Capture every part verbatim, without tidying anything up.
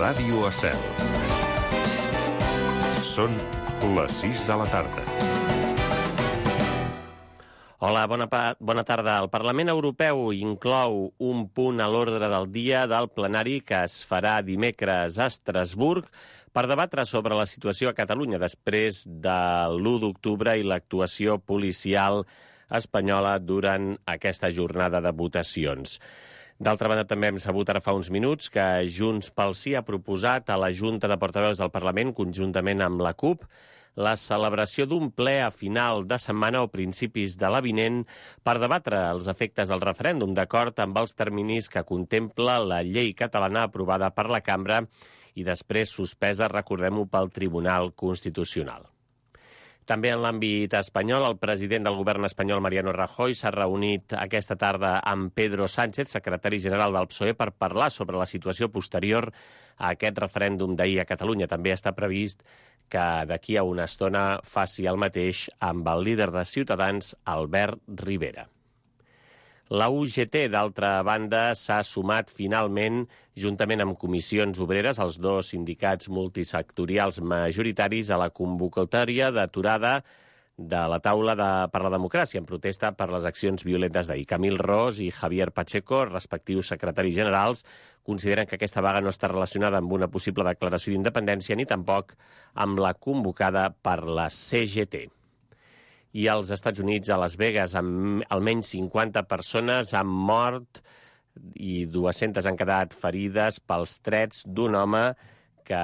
Ràdio Estel. Són les sis de la tarda. Hola, bona, bona tarda. El Parlament Europeu inclou un punt a l'ordre del dia del plenari que es farà dimecres a Estrasburg per debatre sobre la situació a Catalunya després de l'u d'octubre i l'actuació policial espanyola durant aquesta jornada de votacions. D'altra banda, també hem sabut ara fa uns minuts que Junts pel Sí ha proposat a la Junta de Portaveus del Parlament, conjuntament amb la CUP, la celebració d'un ple a final de setmana o principis de l'avinent per debatre els efectes del referèndum, d'acord amb els terminis que contempla la llei catalana aprovada per la Cambra i després suspesa, recordem-ho, pel Tribunal Constitucional. També en l'àmbit espanyol, el president del govern espanyol, Mariano Rajoy, s'ha reunit aquesta tarda amb Pedro Sánchez, secretari general del P S O E, per parlar sobre la situació posterior a aquest referèndum d'ahir a Catalunya. També està previst que d'aquí a una estona faci el mateix amb el líder de Ciutadans, Albert Rivera. La U G T, d'altra banda, s'ha sumat finalment, juntament amb Comissions Obreres, els dos sindicats multisectorials majoritaris, a la convocatòria d'aturada de la taula de, per la democràcia, en protesta per les accions violentes d'ahir. Camil Ros i Javier Pacheco, respectius secretaris generals, consideren que aquesta vaga no està relacionada amb una possible declaració d'independència ni tampoc amb la convocada per la C G T. I als Estats Units, a Las Vegas, amb almenys cinquanta persones han mort i dues-centes han quedat ferides pels trets d'un home que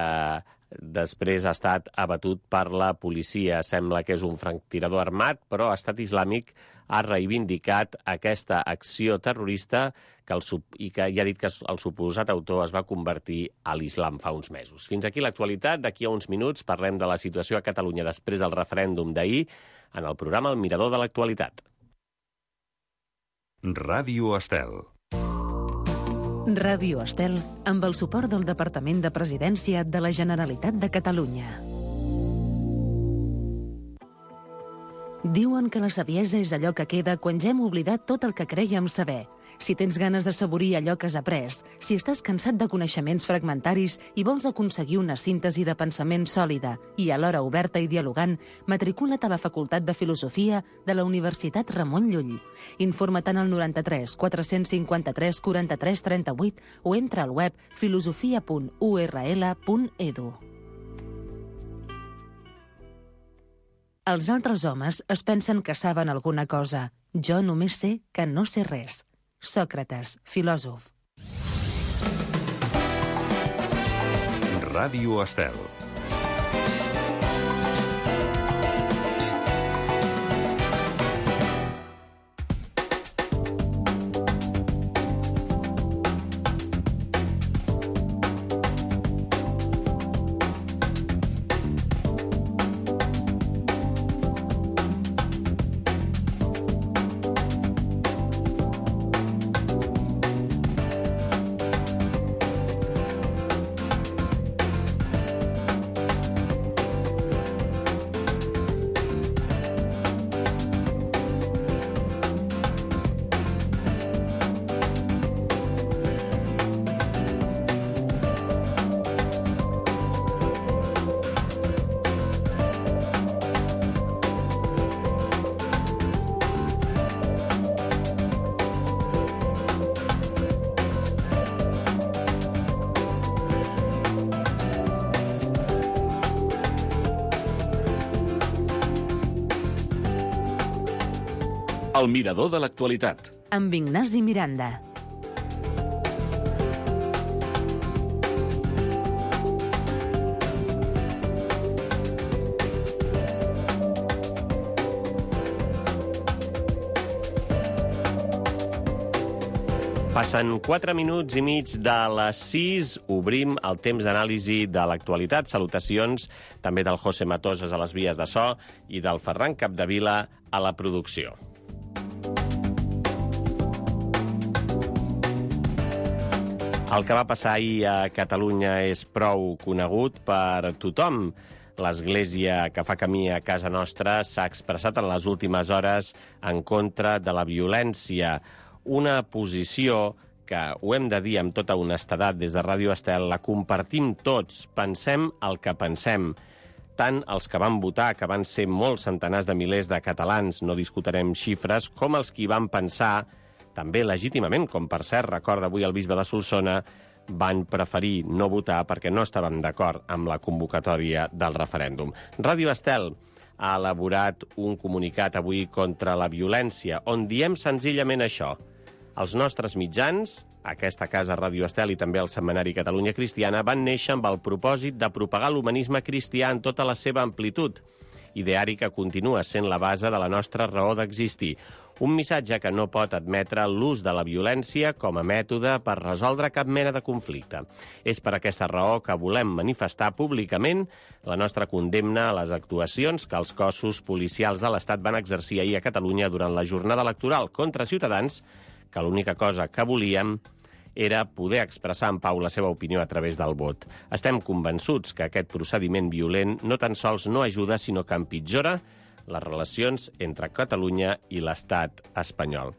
després ha estat abatut per la policia. Sembla que és un franctirador armat, però Estat Islàmic ha reivindicat aquesta acció terrorista que el, i que ja ha dit que el suposat autor es va convertir a l'islam fa uns mesos. Fins aquí l'actualitat. D'aquí a uns minuts parlem de la situació a Catalunya després del referèndum d'ahir en el programa El Mirador de l'Actualitat. Ràdio Estel. Ràdio Estel, amb el suport del Departament de Presidència de la Generalitat de Catalunya. Diuen que la saviesa és allò que queda quan ja hem oblidat tot el que crèiem saber. Si tens ganes de saborir allò que has après, si estàs cansat de coneixements fragmentaris i vols aconseguir una síntesi de pensament sòlida i alhora oberta i dialogant, matricula't a la Facultat de Filosofia de la Universitat Ramon Llull. Informa't al noranta-tres quatre-cents cinquanta-tres quaranta-tres trenta-vuit o entra al web filosofia punt u erra ele punt edu. Els altres homes es pensen que saben alguna cosa. Jo només sé que no sé res. Sòcrates, filòsof. Ràdio Estel. El Mirador de l'Actualitat. Amb Ignasi Miranda. Passen quatre minuts i mig de les sis. Obrim el temps d'anàlisi de l'actualitat. Salutacions també del José Matosas a les vies de so i del Ferran Capdevila a la producció. El que va passar ahir a Catalunya és prou conegut per tothom. L'Església que fa camí a casa nostra s'ha expressat en les últimes hores en contra de la violència. Una posició que ho hem de dir amb tota honestedat des de Ràdio Estel, la compartim tots, pensem el que pensem. Tant els que van votar, que van ser molts centenars de milers de catalans, no discutirem xifres, com els que hi van pensar, també legítimament, com per cert recorda avui el bisbe de Solsona, van preferir no votar perquè no estaven d'acord amb la convocatòria del referèndum. Ràdio Estel ha elaborat un comunicat avui contra la violència, on diem senzillament això. Els nostres mitjans, aquesta casa Ràdio Estel i també el setmanari Catalunya Cristiana, van néixer amb el propòsit de propagar l'humanisme cristià en tota la seva amplitud, ideari que continua sent la base de la nostra raó d'existir. Un missatge que no pot admetre l'ús de la violència com a mètode per resoldre cap mena de conflicte. És per aquesta raó que volem manifestar públicament la nostra condemna a les actuacions que els cossos policials de l'Estat van exercir ahir a Catalunya durant la jornada electoral contra ciutadans, que l'única cosa que volíem era poder expressar en pau la seva opinió a través del vot. Estem convençuts que aquest procediment violent no tan sols no ajuda, sinó que empitjora les relacions entre Catalunya i l'Estat espanyol.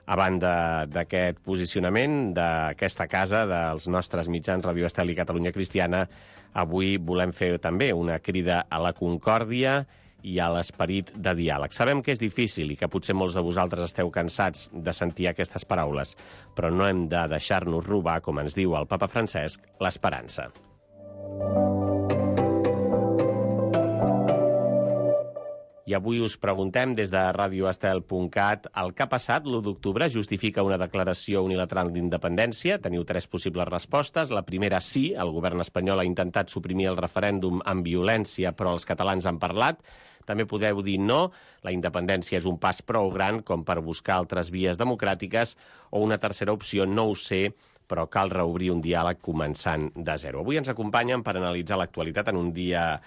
A banda d'aquest posicionament d'aquesta casa, dels nostres mitjans Ràdio Estel i Catalunya Cristiana, avui volem fer també una crida a la concòrdia i a l'esperit de diàleg. Sabem que és difícil i que potser molts de vosaltres esteu cansats de sentir aquestes paraules, però no hem de deixar-nos robar, com ens diu el papa Francesc, l'esperança. I avui us preguntem des de radio estel punt cat el que ha passat l'u d'octubre justifica una declaració unilateral d'independència. Teniu tres possibles respostes. La primera, sí, el govern espanyol ha intentat suprimir el referèndum amb violència, però els catalans han parlat. També podeu dir no, la independència és un pas prou gran com per buscar altres vies democràtiques, o una tercera opció, no ho sé, però cal reobrir un diàleg començant de zero. Avui ens acompanyen per analitzar l'actualitat en un dia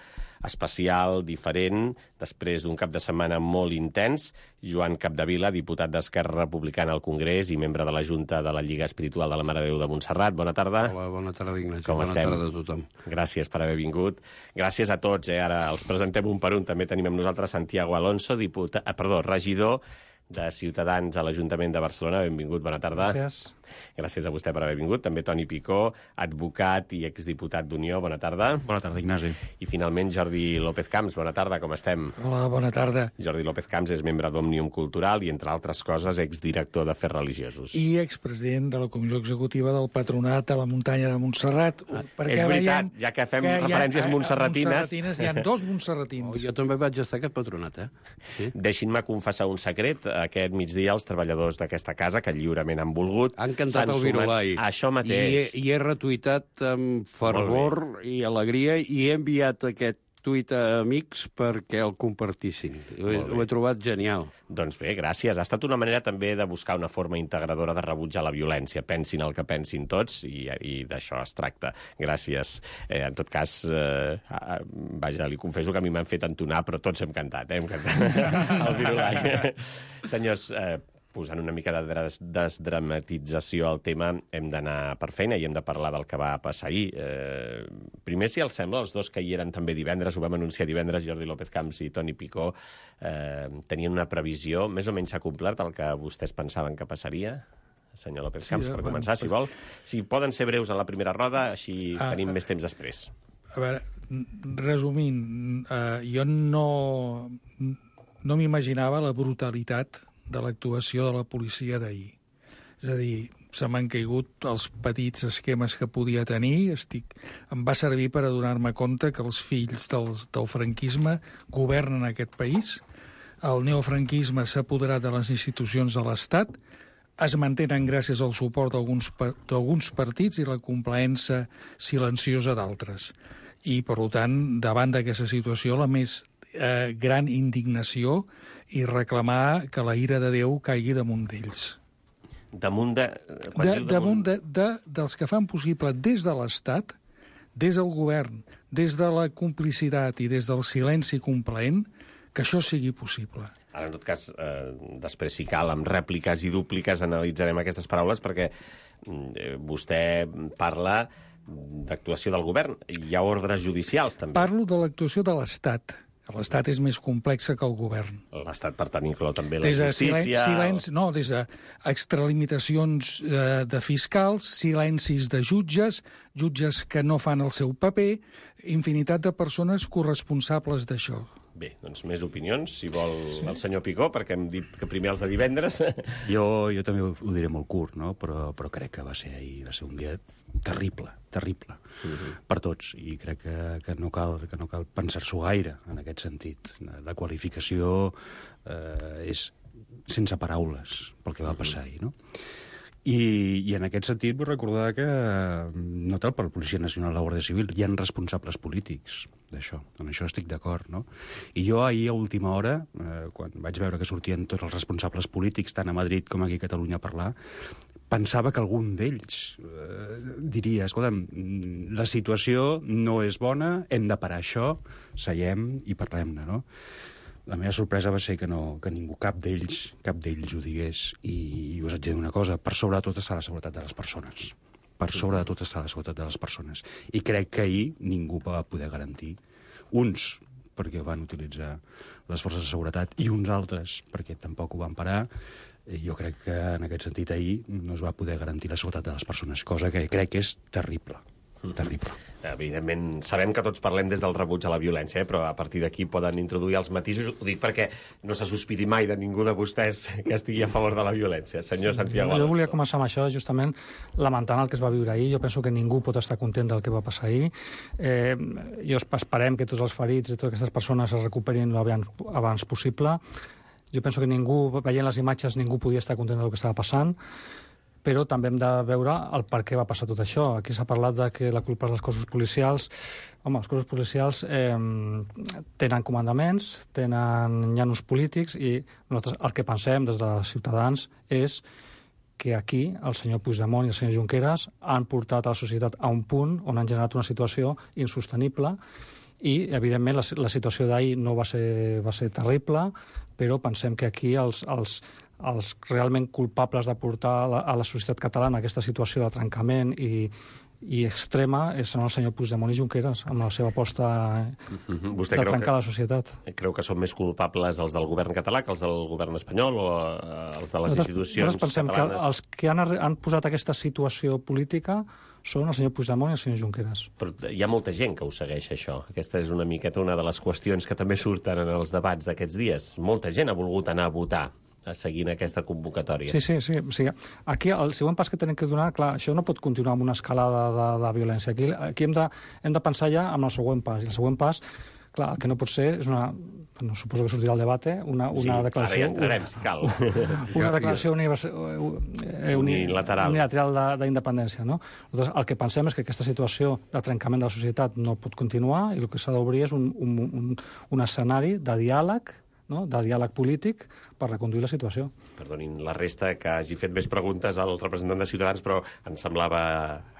especial, diferent, després d'un cap de setmana molt intens, Joan Capdevila, diputat d'Esquerra Republicana al Congrés i membre de la Junta de la Lliga Espiritual de la Mare de Déu de Montserrat. Bona tarda. Hola, bona tarda, Ignasi. Com bona estem? tarda a tothom. Gràcies per haver vingut. Gràcies a tots, eh? Ara els presentem un per un. També tenim amb nosaltres Santiago Alonso, diputat, eh, perdó, regidor de Ciutadans a l'Ajuntament de Barcelona. Benvingut, bona tarda. Gràcies. Gràcies a vostè per haver vingut. També Toni Picó, advocat i exdiputat d'Unió. Bona tarda. Bona tarda, Ignasi. I finalment Jordi López Camps. Bona tarda, com estem? Hola, bona tarda. Jordi López Camps és membre d'Òmnium Cultural i, entre altres coses, exdirector d'Afers Religiosos. I expresident de la Comissió Executiva del Patronat de la Muntanya de Montserrat. És veritat, ja que fem que referències hi ha, montserratines... montserratines. Hi ha dos montserratins. Oh, jo també vaig estar a aquest patronat, eh? Sí. Deixin-me confessar un secret. Aquest migdia els treballadors d'aquesta casa, que lliurement han volgut... Han cantat s'han el Virolai. Això I he, mateix. I he retuitat amb fervor i alegria i he enviat aquest tuit a amics perquè el compartissin. Ho he, ho he trobat genial. Doncs bé, gràcies. Ha estat una manera també de buscar una forma integradora de rebutjar la violència. Pensin el que pensin tots i, i d'això es tracta. Gràcies. Eh, en tot cas, eh, vaja, li confesso que a mi m'han fet entonar, però tots hem cantat, eh? Hem cantat el Virolai. Senyors, eh, posant una mica de des desdramatització al tema, hem d'anar per feina i hem de parlar del que va passar ahir. Eh, primer, si els sembla, els dos que hi eren també divendres, ho vam anunciar divendres, Jordi López Camps i Toni Picó, eh, tenien una previsió, més o menys s'ha complert el que vostès pensaven que passaria? Senyor López Camps, Sí, per bueno, començar, si pues... vol. Si poden ser breus a la primera roda, així Ah, tenim més temps després. A veure, resumint, eh, jo no, no m'imaginava la brutalitat de l'actuació de la policia d'ahir. És a dir, se m'han caigut els petits esquemes que podia tenir. Estic... Em va servir per adonar-me compte que els fills dels, del franquisme governen aquest país. El neofranquisme s'ha apoderat de les institucions de l'Estat, es mantenen gràcies al suport d'alguns partits i la complaença silenciosa d'altres. I, per tant, davant d'aquesta situació, la més eh, gran indignació i reclamar que la ira de Déu caigui damunt d'ells. Damunt de... De, damunt de, de, dels que fan possible des de l'Estat, des del govern, des de la complicitat i des del silenci complaent, que això sigui possible. Ara, en tot cas, eh, després, si cal, amb rèpliques i dúpliques analitzarem aquestes paraules, perquè eh, vostè parla d'actuació del govern. Hi ha ordres judicials, també. Parlo de l'actuació de l'Estat. L'Estat és més complexa que el govern. L'Estat, per tant, inclou també la Des de justícia... silenci, no, des de extralimitacions eh, de fiscals, silencis de jutges, jutges que no fan el seu paper, infinitat de persones corresponsables d'això. Bé, doncs més opinions, si vol sí. el senyor Picó, perquè hem dit que primer els de divendres... Jo, jo també ho, ho diré molt curt, no? però, però crec que va ser ahir, va ser un dia terrible, terrible, uh-huh. per tots, i crec que, que, no cal, que no cal pensar-s'ho gaire en aquest sentit. La qualificació eh, és sense paraules pel que va passar ahir, no? I, i en aquest sentit vull recordar que no tal per la Policia Nacional i la Guàrdia Civil, hi ha responsables polítics d'això, en això estic d'acord, no? I jo ahir a última hora, eh, quan vaig veure que sortien tots els responsables polítics, tant a Madrid com aquí a Catalunya a parlar, pensava que algun d'ells eh, diria, escolta'm, la situació no és bona, hem de parar això, seiem i parlem-ne, no? La meva sorpresa va ser que, no, que ningú, cap d'ells, cap d'ells ho digués. I, i us haig de dir una cosa, per sobre de tot està la seguretat de les persones. Per sobre de tot està la seguretat de les persones. I crec que ahir ningú va poder garantir. Uns, perquè van utilitzar les forces de seguretat, i uns altres, perquè tampoc ho van parar. Jo crec que en aquest sentit ahir no es va poder garantir la seguretat de les persones, cosa que crec que és terrible. Terrible. Evidentment, sabem que tots parlem des del rebuig a la violència, eh? Però a partir d'aquí poden introduir els matisos. Ho dic perquè no se sospiti mai de ningú de vostès que estigui a favor de la violència. Senyor Santiago Alonso. Jo volia començar amb això, justament lamentant el que es va viure ahir. Jo penso que ningú pot estar content del que va passar ahir. Eh, jo esperem que tots els ferits i totes aquestes persones es recuperin abans, abans possible. Jo penso que ningú, veient les imatges, ningú podia estar content del que estava passant, però també hem de veure el per què va passar tot això. Aquí s'ha parlat de que la culpa és dels cossos policials. Home, els cossos policials eh, tenen comandaments, tenen llanos polítics, i nosaltres el que pensem des de Ciutadans és que aquí el senyor Puigdemont i el senyor Junqueras han portat a la societat a un punt on han generat una situació insostenible, i, evidentment, la, la situació d'ahir no va ser, va ser terrible, però pensem que aquí els... els els realment culpables de portar a la, a la societat catalana aquesta situació de trencament i, i extrema són el senyor Puigdemont i Junqueras, amb la seva aposta mm-hmm. Vostè de creu trencar que, la societat. Creu que són més culpables els del govern català que els del govern espanyol o eh, els de les nosaltres, institucions nosaltres pensem catalanes? Que els que han, han posat aquesta situació política són el senyor Puigdemont i el senyor Junqueras. Però hi ha molta gent que ho segueix, això. Aquesta és una miqueta una de les qüestions que també surten en els debats d'aquests dies. Molta gent ha volgut anar a votar seguint aquesta convocatòria. Sí, sí, sí. sí. Aquí el següent pas que tenim que donar, clar, això no pot continuar amb una escalada de, de violència. Aquí, aquí hem, de, hem de pensar ja en el següent pas. I el següent pas, clar, el que no pot ser és una... No, suposo que sortirà el debat, una, una sí, declaració... ara ja entrarem, si cal. Una declaració univers... unilateral, unilateral d'independència, no? Nosaltres el que pensem és que aquesta situació de trencament de la societat no pot continuar, i el que s'ha d'obrir és un, un, un, un escenari de diàleg, no? de diàleg polític per reconduir la situació. Perdonin la resta que hagi fet més preguntes al representant de Ciutadans, però em semblava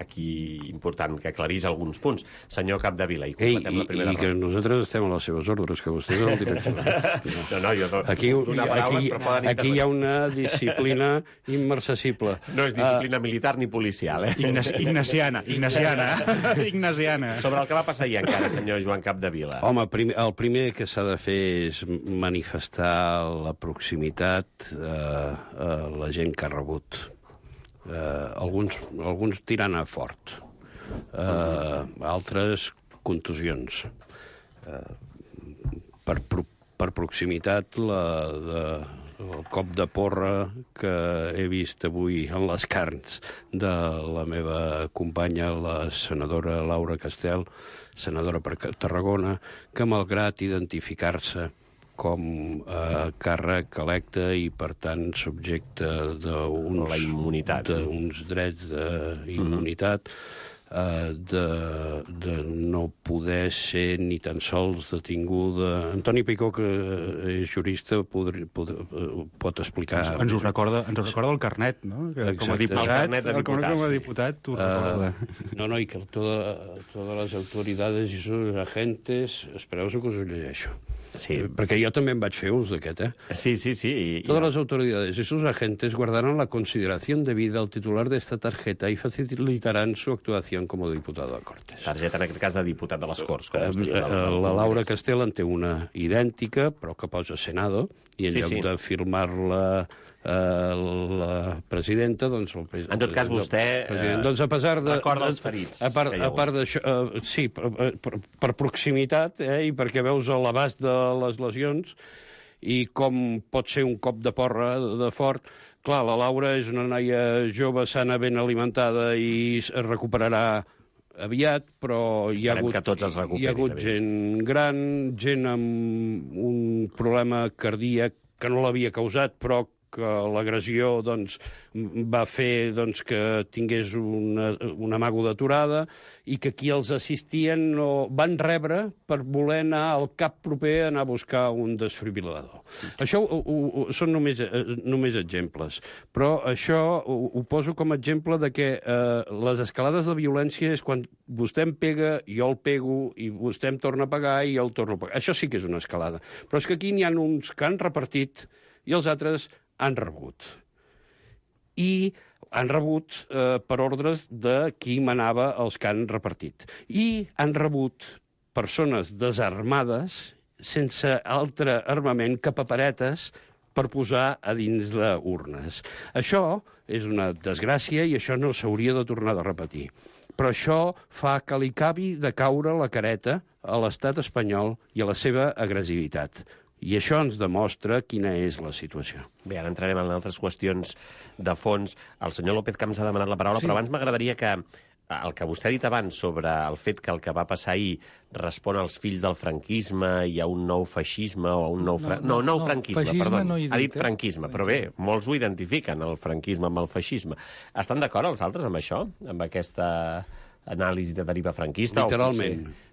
aquí important que aclarís alguns punts. Senyor Capdevila, i completem Ei, la primera i, i que nosaltres estem a les seves ordres, que vostè és el director. no, no, jo do, aquí, donar paraules, aquí, però poden aquí hi ha una disciplina immarcessible. No és disciplina uh, militar ni policial, eh? Ignaci Ignaciana, Ignaciana. Ignasiana. Sobre el que va passar ahir encara, senyor Joan Capdevila. Home, prim, el primer que s'ha de fer és manifestar la proximitat eh, a la gent que ha rebut. Eh, alguns, alguns tirant a fort, eh, altres contusions. Eh, per, pro, per proximitat, la, de, el cop de porra que he vist avui en les carns de la meva companya, la senadora Laura Castel, senadora per Tarragona, que malgrat identificar-se com a càrrec electe i, per tant, subjecte d'uns drets d'immunitat, eh, de, de no poder ser ni tan sols detinguda. Antoni Picó, que és jurista, podri, pod, pot explicar... Ens, ens ho recorda, ens ho recorda el carnet, no? Que com a diputat, el carnet de diputat, com a diputat t'ho recorda. Uh, no, no, i que toda, todas las autoridades i sus agentes... Espereu-se que us ho llegeixo. Sí. Perquè jo també en vaig fer ús d'aquest, eh? Sí, sí, sí. I, Todas i... las autoridades y sus agentes guardarán la consideración debida al titular de esta tarjeta y facilitarán su actuación como diputado a Cortes. Targeta, en aquest cas, de diputat de les Corts. Com Eh, es diu, eh, del- la del Laura Congrés. Castel en té una idèntica, però que posa Senado, i en Sí, lloc sí. de firmar-la eh, la presidenta, doncs... El, En tot cas, vostè, el president. eh, doncs a pesar de... recorda de- els ferits A part, que hi ha a hagut. part d'això, eh, sí, per, per, per proximitat, eh, i perquè veus l'abast de les lesions i com pot ser un cop de porra de fort. Clar, la Laura és una noia jove, sana, ben alimentada i es recuperarà aviat, però hi ha Esperem hagut, que tots es hi ha recuperin, hagut també. gent gran, gent amb un problema cardíac que no l'havia causat, però que l'agressió doncs, va fer doncs, que tingués una, una mago d'aturada i que qui els assistien no, van rebre per voler anar al cap proper a anar a buscar un desfibril·lador. Això ho, ho, ho, són només, eh, només exemples, però això ho, ho poso com a exemple de que eh, les escalades de violència és quan vostè em pega, jo el pego, i vostè em torna a pegar i jo el torno a pegar. Això sí que és una escalada. Però és que aquí n'hi ha uns que han repartit i els altres han rebut. I han rebut eh, per ordres de qui manava els que han repartit. I han rebut persones desarmades, sense altre armament que paperetes per posar a dins d'urnes. Això és una desgràcia i això no s'hauria de tornar de repetir. Però això fa que li acabi de caure la careta a l'estat espanyol i a la seva agressivitat. I això ens demostra quina és la situació. Bé, ara entrarem en altres qüestions de fons. El senyor López Camps ha demanat la paraula, Sí. però abans m'agradaria que el que vostè ha dit abans sobre el fet que el que va passar ahir respon als fills del franquisme i a un nou feixisme o a un nou... Fra... No, No, no, nou no, franquisme, feixisme perdó. no hi he ha dit, dit eh? franquisme, però bé, molts ho identifiquen, el franquisme amb el feixisme. Estan d'acord els altres amb això? Amb aquesta anàlisi de deriva franquista? o Literalment. potser-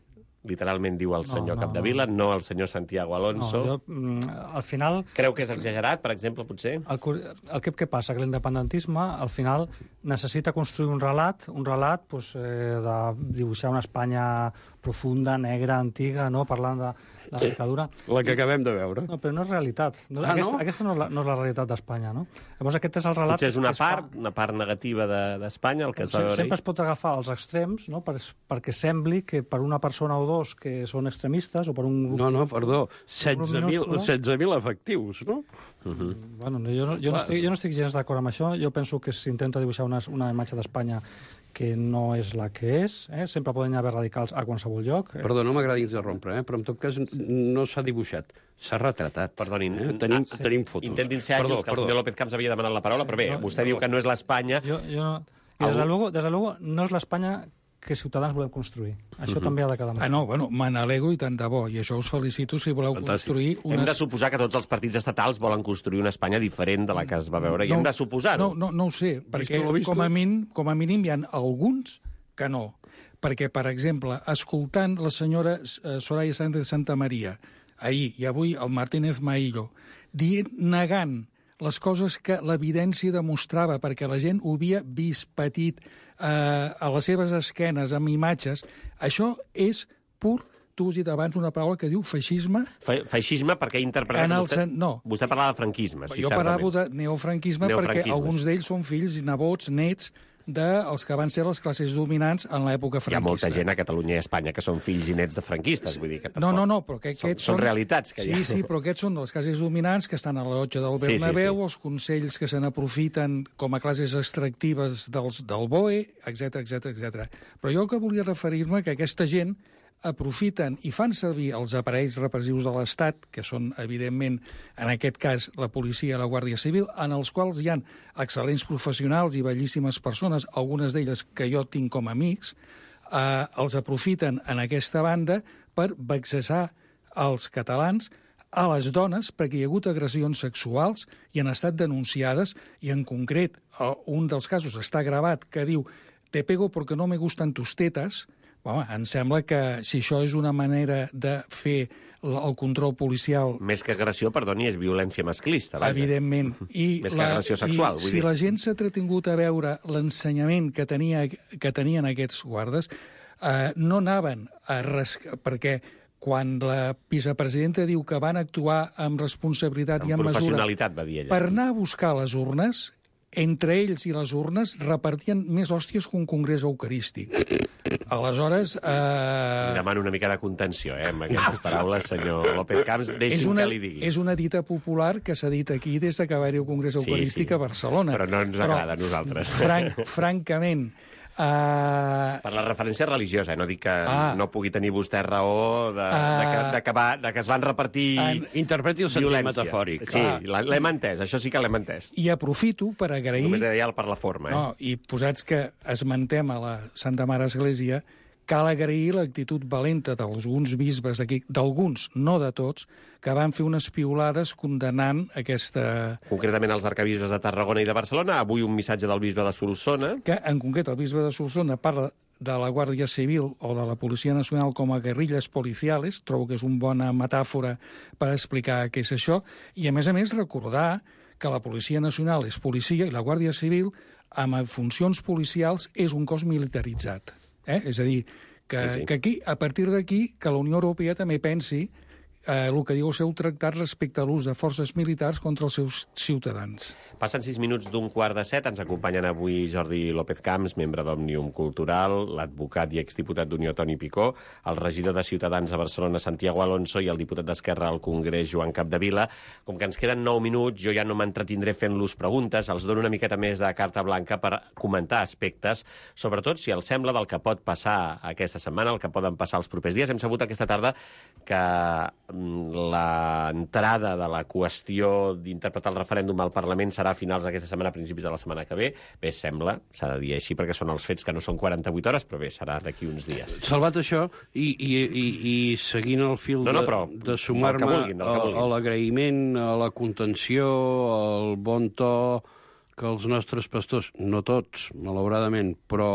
Literalment diu el senyor no, Capdevila, no el senyor Santiago Alonso. No, jo, mm, al final... Creu que és exagerat, per exemple, potser? El, cur- el que, què passa? Que l'independentisme, al final, necessita construir un relat, un relat pues, eh, de dibuixar una Espanya profunda, negra, antiga, no? Parlant de, de la dictadura. La que acabem de veure. No, però no és realitat. No, Ah, aquesta, no? aquesta no és la, no és la realitat d'Espanya, no? Llavors aquest és el relat... Potser és una que es fa- part, una part negativa de- d'Espanya, el que es va veure Sempre ahir. es pot agafar els extrems, no? per, perquè sembli que per una persona o dos que són extremistes o per un grup... No, no, perdó, grup minúscul. setze mil efectius, no? Bueno, jo, no- jo, no estic, jo no estic gens d'acord amb això. Jo penso que s'intenta dibuixar una, una imatge d'Espanya que no és la que és. Eh? Sempre poden haver radicals a qualsevol lloc. Eh? Perdó, no m'agrada interrompre, eh? però en tot cas no s'ha dibuixat, s'ha retratat. Perdonin, eh? tenim, ah, sí. tenim fotos. Intentin ser àgils, Perdó, que el perdó. senyor López Camps havia demanat la paraula, però bé, no, vostè diu que no és l'Espanya. Jo, jo no... I des de, luego, des de luego no és l'Espanya que Ciutadans volem construir. Això també ha de quedar molt. Ah, no, bueno, me n'alegro i tant de bo, i això us felicito si voleu Fantàstic. construir Hem una... de suposar que tots els partits estatals volen construir una Espanya diferent de la que es va veure, i hem de suposar-ho. No, no, no ho sé, perquè lo visto? com a, mínim, com a mínim hi ha alguns que no. Perquè, per exemple, escoltant la senyora eh, Soraya Sánchez de Santa Maria ahir i avui el Martínez Maillo dient, negant les coses que l'evidència demostrava, perquè la gent ho havia vist petit eh, a les seves esquenes, amb imatges, això és pur, tu has dit abans una paraula que diu feixisme. Fe feixisme, perquè he interpretat... En el vostè, sen- no. Vostè parlava de franquisme, sí, jo certament. parlavo de neofranquisme, Neofranquisme, perquè alguns sí. d'ells són fills i nebots, nets, dels que van ser les classes dominants en l'època Hi ha franquista. molta gent a Catalunya i a Espanya que són fills i nets de franquistes, vull dir que No, no, no, però que són, aquests són realitats que sí, hi ha. Sí, però aquests són de les classes dominants que estan a la llotja del Sí, sí, Bernabéu, sí. els consells que se n'aprofiten com a classes extractives dels, del B O E, etc etc etc. Però jo el que volia referir-me que aquesta gent aprofiten i fan servir els aparells repressius de l'Estat, que són, evidentment, en aquest cas, la policia i la Guàrdia Civil, en els quals hi ha excel·lents professionals i bellíssimes persones, algunes d'elles que jo tinc com a amics, eh, els aprofiten en aquesta banda per vexar els catalans, a les dones, perquè hi ha hagut agressions sexuals i han estat denunciades, i en concret, eh, un dels casos està gravat que diu «Te pego porque no me gustan tus tetas». Home, em sembla que si això és una manera de fer el control policial... Més que agressió, perdoni, és violència masclista. Vaja. Evidentment. I Més que agressió sexual, i vull si dir. la gent s'ha entretingut a veure l'ensenyament que, tenia, que tenien aquests guardes, eh, no anaven a res... perquè quan la vicepresidenta diu que van actuar amb responsabilitat i amb mesura professionalitat, va dir ella. per anar a buscar les urnes, entre ells i les urnes repartien més hòsties que un congrés eucarístic. Aleshores... Eh... Li demano una mica de contenció, eh, amb aquestes paraules, senyor López Camps. Deixi'm que li digui. És una dita popular que s'ha dit aquí des que va haver-hi el congrés eucarístic sí, sí. a Barcelona. Però no ens Però, agrada a nosaltres. Franc, francament... Uh... Per la referència religiosa, eh? No dic que ah. no pugui tenir vostè raó de, uh... de, que, de, que va, de que es van repartir uh... Interpreti el sentit metafòric. Sí, l'hem entès, això sí que l'hem entès. I aprofito per agrair... Només deia per la forma, eh? No, i posats que esmentem a la Santa Mare Església, cal agrair l'actitud valenta d'alguns bisbes aquí, d'alguns, no de tots, que van fer unes piulades condenant aquesta... Concretament els arcabisbes de Tarragona i de Barcelona. Avui un missatge del bisbe de Solsona. Que, en concret, el bisbe de Solsona parla de la Guàrdia Civil o de la Policia Nacional com a guerrilles policiales. Trobo que és una bona metàfora per explicar què és això. I, a més a més, recordar que la Policia Nacional és policia i la Guàrdia Civil, amb funcions policials, és un cos militaritzat. Eh? És a dir, que, sí, sí. que aquí, a partir d'aquí, que la Unió Europea també pensi eh, el que diu el seu tractat respecte a l'ús de forces militars contra els seus ciutadans. Passen sis minuts d'un quart de set. Ens acompanyen avui Jordi López Camps, membre d'Òmnium Cultural, l'advocat i exdiputat d'Unió Toni Picó, el regidor de Ciutadans a Barcelona, Santiago Alonso, i el diputat d'Esquerra al Congrés, Joan Capdevila. Com que ens queden nou minuts, jo ja no m'entretindré fent-los preguntes, els dono una miqueta més de carta blanca per comentar aspectes, sobretot si els sembla del que pot passar aquesta setmana, el que poden passar els propers dies. Hem sabut aquesta tarda que l'entrada de la qüestió d'interpretar el referèndum al Parlament serà a finals d'aquesta setmana, a principis de la setmana que ve. Bé, sembla, s'ha de dir així, perquè són els fets que no són quaranta-vuit hores, però bé, serà d'aquí uns dies. Salvat això, i, i, i, i seguint el fil no, no, però, de, de sumar-me a l'agraïment, a la contenció, al bon to que els nostres pastors, no tots, malauradament, però,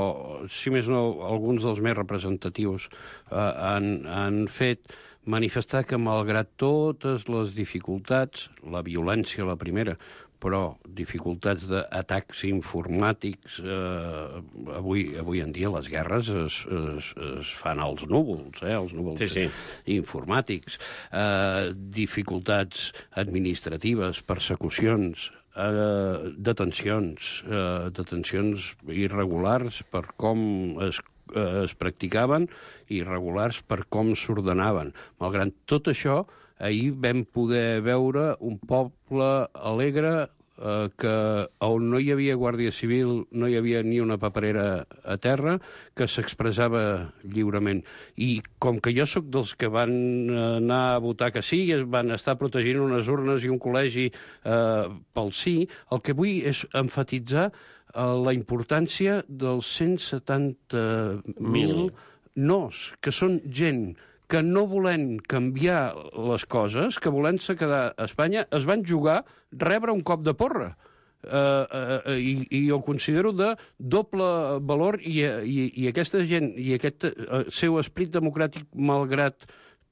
si més no, alguns dels més representatius eh, han, han fet manifestar que, malgrat totes les dificultats, la violència la primera, però dificultats d'atacs informàtics, eh, avui, avui en dia les guerres es, es, es fan als núvols, eh, els núvols sí, sí. informàtics, eh, dificultats administratives, persecucions, eh, detencions, eh, detencions irregulars per com es es practicaven, irregulars per com s'ordenaven. Malgrat tot això, ahir vam poder veure un poble alegre eh, que on no hi havia Guàrdia Civil, no hi havia ni una paperera a terra, que s'expressava lliurement. I com que jo sóc dels que van anar a votar que sí, es van estar protegint unes urnes i un col·legi eh, pel sí, el que vull és emfatitzar la importància dels cent setanta mil nos, que són gent que no volent canviar les coses, que volent-se quedar a Espanya, es van jugar rebre un cop de porra. Uh, uh, i, i ho considero de doble valor i, i, i aquesta gent i aquest uh, seu esperit democràtic, malgrat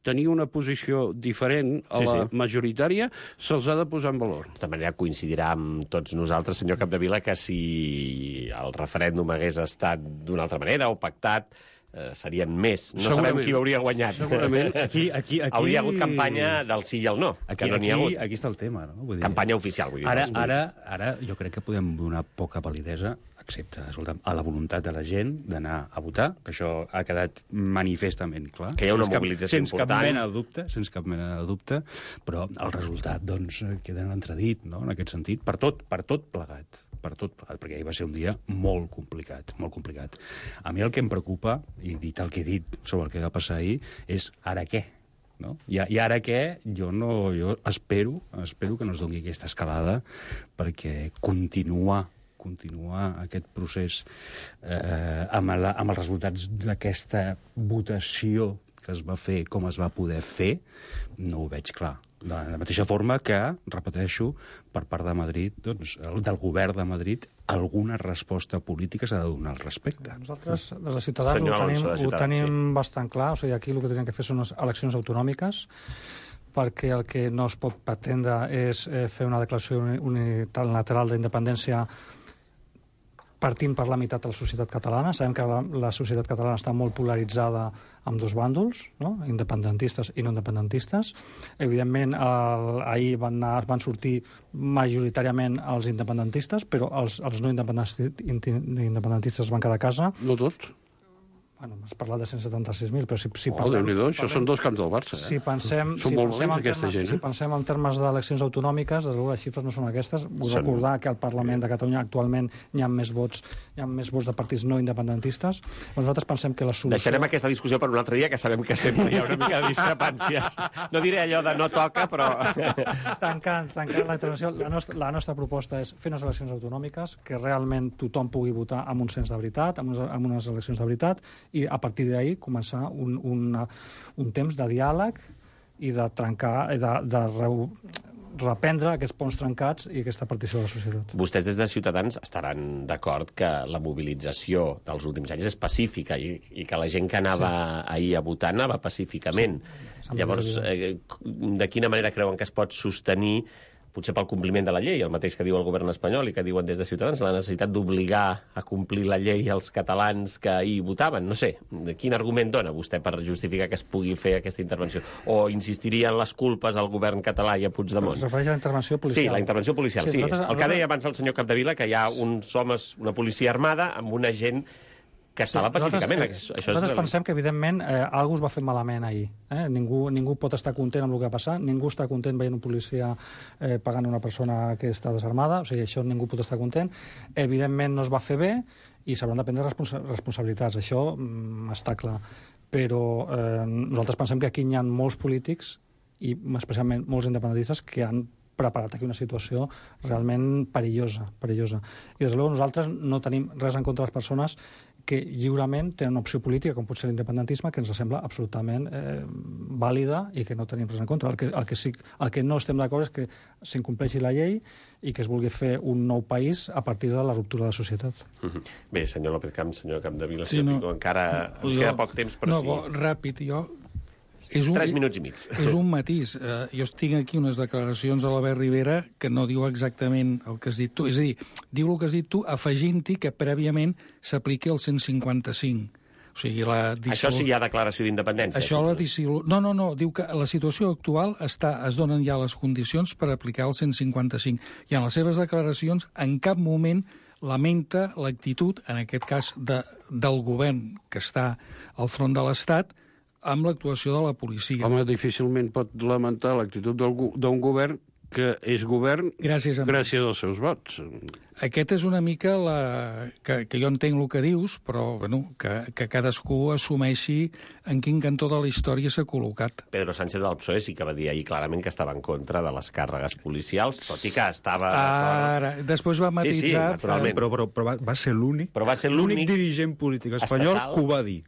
tenir una posició diferent a la sí, sí. majoritària, se'ls ha de posar en valor. De tota manera, coincidirà amb tots nosaltres, senyor Capdevila, que si el referèndum hagués estat d'una altra manera o pactat, eh, serien més. No sabem qui hauria guanyat. Segurament. Aquí, aquí, aquí... Hauria hagut campanya del sí i el no. Aquí, no aquí, ha hagut. aquí està el tema. No? Vull dir, campanya oficial, vull dir. Ara, ara, ara jo crec que podem donar poca validesa, excepte, escolta'm, a la voluntat de la gent d'anar a votar, que això ha quedat manifestament clar. Que hi ha una sense mobilització cap, sense important. Cap mena de dubte, sense cap mena de dubte, però el resultat, doncs, queda en entredit, no?, en aquest sentit, per tot, per tot plegat, per tot plegat, perquè ahir va ser un dia molt complicat, molt complicat. A mi el que em preocupa, i dit el que he dit sobre el que va passar ahir, és ara què? No? I, I ara què? Jo, no, jo espero, espero que no es doni aquesta escalada, perquè continuar continuar aquest procés eh, amb, la, amb els resultats d'aquesta votació que es va fer, com es va poder fer, no ho veig clar. De la mateixa forma que, repeteixo, per part de Madrid, doncs, del govern de Madrid, alguna resposta política s'ha de donar al respecte. Nosaltres, des de Ciutadans, Senyor ho tenim, Alonso, ho tenim sí. bastant clar. O sigui, aquí el que tenim que fer són unes eleccions autonòmiques, perquè el que no es pot pretendre és eh, fer una declaració unilateral d'independència partint per la meitat de la societat catalana. Sabem que la, la societat catalana està molt polaritzada amb dos bàndols, no? Independentistes i no independentistes. Evidentment, el, ahir van, anar, van sortir majoritàriament els independentistes, però els, els no independentistes es van quedar a casa. No tots. Bueno, has parlat de cent setanta-sis mil, però si, si oh, parlem... Déu-n'hi-do, si això són dos camps del Barça, eh? Si pensem, són si molt pensem valents, en aquesta termes, gent, eh? Si pensem en termes d'eleccions autonòmiques, des de les xifres no són aquestes. Vull Són... recordar que al Parlament de Catalunya actualment hi ha més vots, hi ha més vots de partits no independentistes. Però nosaltres pensem que la solució... Deixarem aquesta discussió per un altre dia, que sabem que sempre hi ha una mica de discrepàncies. No diré allò de no toca, però... Tancant, tancant la intervenció, la nostra, la nostra proposta és fer unes eleccions autonòmiques, que realment tothom pugui votar amb un cens de veritat, amb unes, amb unes eleccions de veritat, i a partir d'ahir començar un, un, un temps de diàleg i de trencar, de, de re, reprendre aquests ponts trencats i aquesta partició de la societat. Vostès des de Ciutadans estaran d'acord que la mobilització dels últims anys és pacífica i, i que la gent que anava sí. ahir a votar anava pacíficament. Sí, llavors, eh, de quina manera creuen que es pot sostenir, potser pel compliment de la llei, el mateix que diu el govern espanyol i que diuen des de Ciutadans, la necessitat d'obligar a complir la llei als catalans que ahir votaven? No sé, quin argument dona vostè per justificar que es pugui fer aquesta intervenció? O insistiria en les culpes al govern català i a Puigdemont? Es refereix a la intervenció policial. Sí, la intervenció policial, sí. sí. Nosaltres, el que deia abans el senyor Capdevila, que hi ha uns homes, una policia armada, amb una gent que estava sí, pacíficament. Nosaltres, això nosaltres és... pensem que, evidentment, eh, algú es va fer malament ahir. Eh? Ningú, ningú pot estar content amb el que va passar, ningú està content veient un policia eh, pagant una persona que està desarmada, o sigui, això ningú pot estar content. Evidentment no es va fer bé i s'hauran de prendre responsa responsabilitats, això mm, està clar. Però eh, nosaltres pensem que aquí hi ha molts polítics, i especialment molts independentistes, que han preparat aquí una situació realment perillosa, perillosa. I, des de luego, nosaltres no tenim res en contra de les persones que lliurement tenen una opció política, com pot ser l'independentisme, que ens sembla absolutament eh, vàlida i que no tenim res en contra. El que, el que, sí, el que no estem d'acord és que s'incompleixi la llei i que es vulgui fer un nou país a partir de la ruptura de la societat. Mm-hmm. Bé, senyor López Camps, senyor Capdevila, sí, no, Pico, encara ens jo, queda poc temps, però no, sí. No, ràpid, jo... És un, Tres minuts i mig. És un matís. Uh, jo tinc aquí unes declaracions de l'Albert Rivera que no diu exactament el que has dit tu. És a dir, diu el que has dit tu afegint-hi que prèviament s'apliqui el cent cinquanta-cinc. O sigui, la dissol... Això sí hi ha declaració d'independència. Això la dissol... No, no, no. Diu que la situació actual està, es donen ja les condicions per aplicar el cent cinquanta-cinc. I en les seves declaracions en cap moment lamenta l'actitud, en aquest cas de, del govern que està al front de l'Estat, amb l'actuació de la policia. Home, difícilment pot lamentar l'actitud d'un govern que és govern gràcies, gràcies als seus vots. Aquest és una mica la... que, que jo entenc el que dius, però bueno, que, que cadascú assumeixi en quin cantó de la història s'ha col·locat. Pedro Sánchez del P S O E sí que va dir ahir clarament que estava en contra de les càrregues policials, tot i que estava... Ara, després va matitzar... Sí, sí, naturalment. Però, però, però va, va ser l'únic però va ser l'únic dirigent polític espanyol estatal... que ho va dir.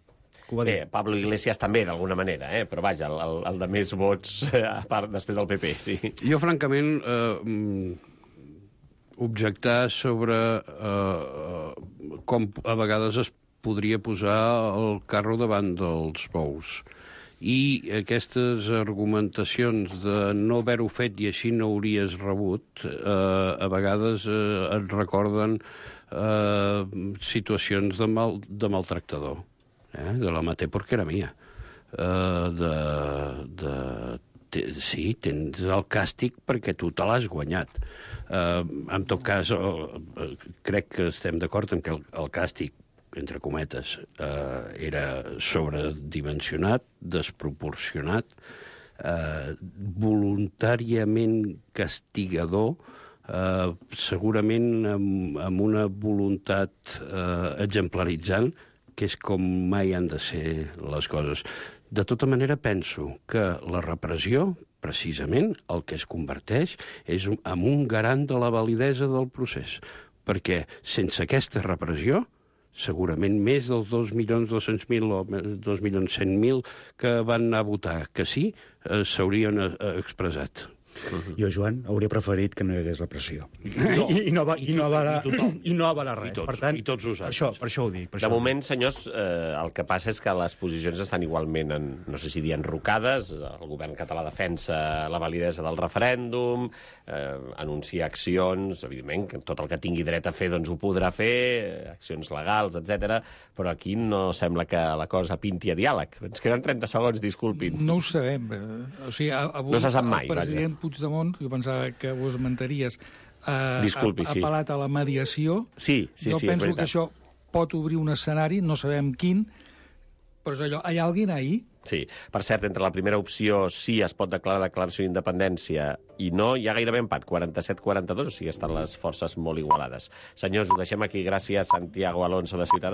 Bé, Pablo Iglesias també, d'alguna manera, eh? Però vaja, el, el, el de més vots, a part, després del P P, sí. Jo, francament, eh, objectar sobre eh, com a vegades es podria posar el carro davant dels bous. I aquestes argumentacions de no haver-ho fet i així no hauries rebut, eh, a vegades eh, et recorden eh, situacions de, mal, de maltractador. Eh, de la maté porque era mia. Uh, de, de, te, sí, tens el càstig perquè tu te l'has guanyat. Uh, en tot cas, uh, uh, crec que estem d'acord en que el, el càstig, entre cometes, uh, era sobredimensionat, desproporcionat, uh, voluntàriament castigador, uh, segurament amb, amb una voluntat uh, exemplaritzant, que és com mai han de ser les coses. De tota manera, penso que la repressió, precisament, el que es converteix és en un garant de la validesa del procés. Perquè sense aquesta repressió, segurament més dels dos milions dos-cents mil o dos milions cent mil que van anar a votar que sí, eh, s'haurien eh, expressat. Uh-huh. Jo, Joan, hauria preferit que no hi hagués repressió. No. I, i, no va, i, no va, I, tothom. I no va res. I tots, per tant, i tots nosaltres. Per això, per això ho dic. Per de això moment, senyors, eh, el que passa és que les posicions estan igualment, en, no sé si dir enrocades. El govern català defensa la validesa del referèndum, eh, anuncia accions, evidentment, que tot el que tingui dret a fer doncs ho podrà fer, accions legals, etcètera. Però aquí no sembla que la cosa pinti a diàleg. Ens queden trenta segons, disculpin. No ho sabem. O sigui, avui no se sap mai, el president vaja. Puigdemont, jo pensava que ho esmentaries, ha, Disculpi, ha, ha sí. apel·lat a la mediació. Sí, sí, jo sí, és penso veritat. que això pot obrir un escenari, no sabem quin, però és allò, hi ha algú ahí? Sí. Per cert, entre la primera opció sí es pot declarar declaració d'independència i no, hi ha gairebé empat, quaranta-set quaranta-dos, o sigui, estan les forces molt igualades. Senyors, ho deixem aquí. Gràcies, Santiago Alonso, de Ciutadans.